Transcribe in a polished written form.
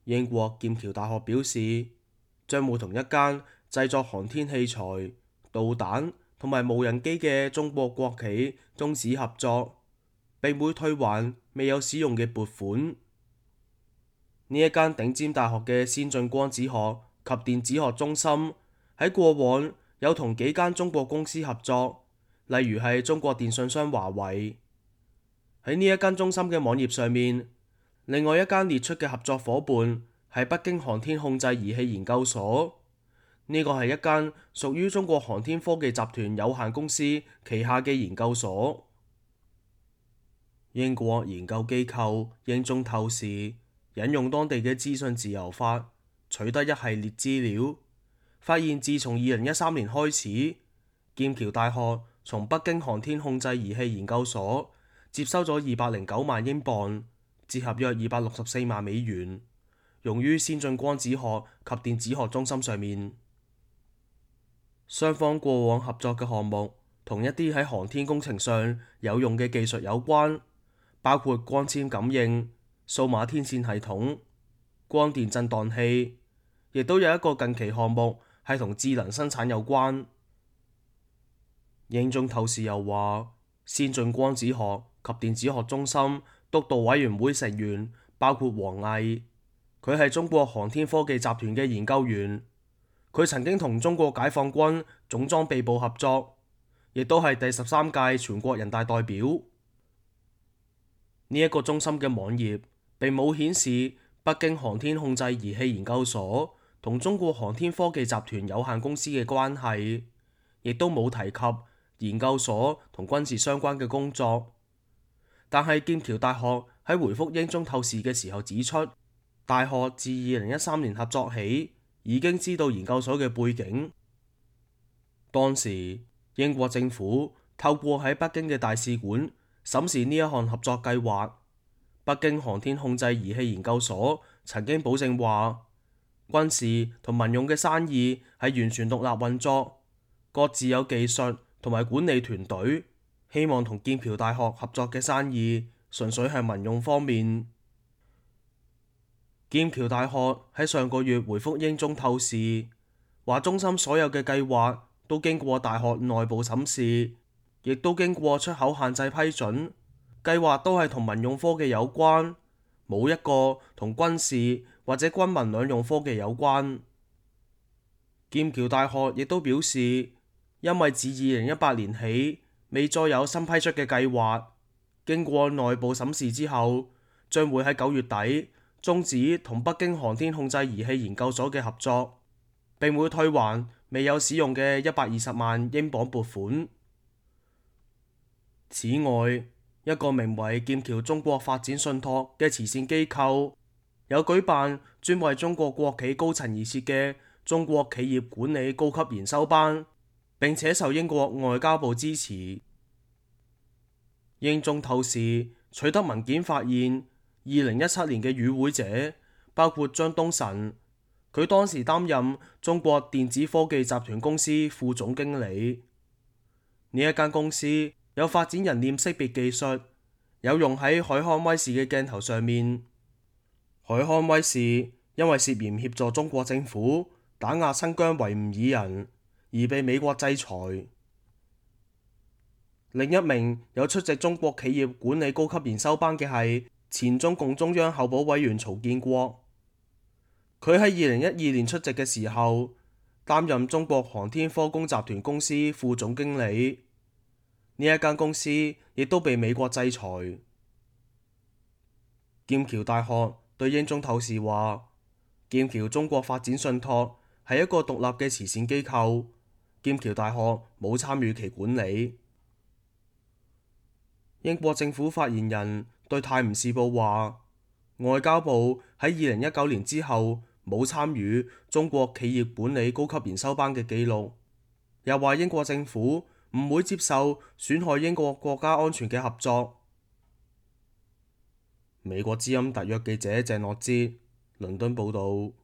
英國劍橋大學表示，將會同一間製作航天器材、導彈同埋無人機嘅中國國企終止合作，並會退還未有使用嘅撥款。呢一間頂尖大學嘅先進光子學及電子學中心喺過往有同幾間中國公司合作，例如係中國電信商華為。喺呢一間中心嘅網頁上面，另外一間列出嘅合作夥伴係北京航天控制儀器研究所，呢個係一間屬於中國航天科技集團有限公司旗下嘅研究所。英國研究機構英中透視引用當地嘅資訊自由法取得一系列資料，發現自從2013年開始，劍橋大學從北京航天控制儀器研究所接收咗209萬英鎊，折合約264萬美元，用於先進光子學及電子學中心上面。雙方過往合作嘅項目同一啲喺航天工程上有用嘅技術有關，包括光纖感應、數碼天線系統、光電震盪器，亦都有一個近期項目係同智能生產有關。英中透視又話，先進光子學及電子學中心督導委員會成員包括王毅，佢係中國航天科技集團嘅研究員，佢曾經同中國解放軍總裝備部合作，亦都係第13屆全國人大代表。呢一個中心嘅網頁並冇顯示北京航天控制儀器研究所同中國航天科技集團有限公司嘅關係，亦都冇提及研究所同軍事相關嘅工作。但係劍橋大學喺回覆英中透視嘅時候指出，大學自2013年合作起已經知道研究所嘅背景。當時英國政府透過喺北京嘅大使館審視呢一項合作計劃。北京航天控制儀器研究所曾經保證話，軍事同民用嘅生意係完全獨立運作，各自有技術同埋管理團隊，希望同劍橋大學合作嘅生意純粹係民用方面。劍橋大學喺上個月回覆英中透視，話中心所有嘅計劃都經過大學內部審視，亦都經過出口限制批准，計劃都係同民用科技有關，冇一個同軍事或者軍民兩用科技有關。劍橋大學亦都表示，因為自2018年起未再有新批出嘅計劃，經過內部審視之後，將會喺9月底終止同北京航天控制儀器研究所嘅合作，並會退還未有使用嘅120萬英鎊撥款。此外，一個名為劍橋中國發展信託嘅慈善機構有舉辦專為中國國企高層而設嘅中國企業管理高級研修班，並且受英國外交部支持。英中透視取得文件發現，2017年嘅與會者包括張東晨，佢當時擔任中國電子科技集團公司副總經理。呢一間公司有發展人臉識別技術，有用喺海康威視嘅鏡頭上面。海康威視因為涉嫌協助中國政府打壓新疆維吾爾人而被美國制裁。另一名有出席中國企業管理高級研修班嘅係前中共中央候補委員曹建國，佢喺2012年出席嘅時候擔任中國航天科工集團公司副總經理。呢一間公司亦都被美國制裁。劍橋大學對英中透視話，劍橋中國發展信託係一個獨立嘅慈善機構，劍橋大學冇參與其管理。英國政府發言人對泰晤士報話，外交部喺2019年之後冇參與中國企業管理高級研修班嘅記錄，又話英國政府唔會接受損害英國國家安全嘅合作。美國之音特約記者鄭諾之倫敦報導。